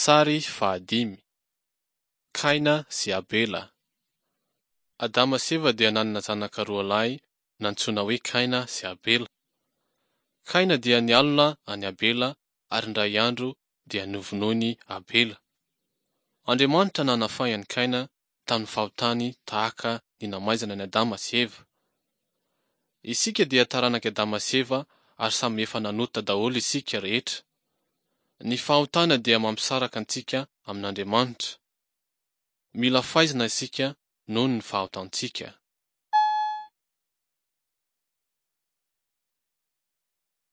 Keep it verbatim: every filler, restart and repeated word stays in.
Sary fahadimy. Kaina sy Abela. Adama sy Eva dia nanana zanaka roa lahy nantsoina hoe Kaina sy Abela. Kaina dia nialona an'i Abela ary indray andro dia novonoiny Abela. Andriamanitra nanafay an'i Kaina tamin'ny fahotany tahaka ny namaizana an'i Adama sy Eva. Isika dia taranak'i Adama sy Eva ary samy efa nanota daholo isika rehetra. Ny fahotana dia mampisaraka antsika amin'Andriamanitra. Mila faizina isika noho ny fahotantsika.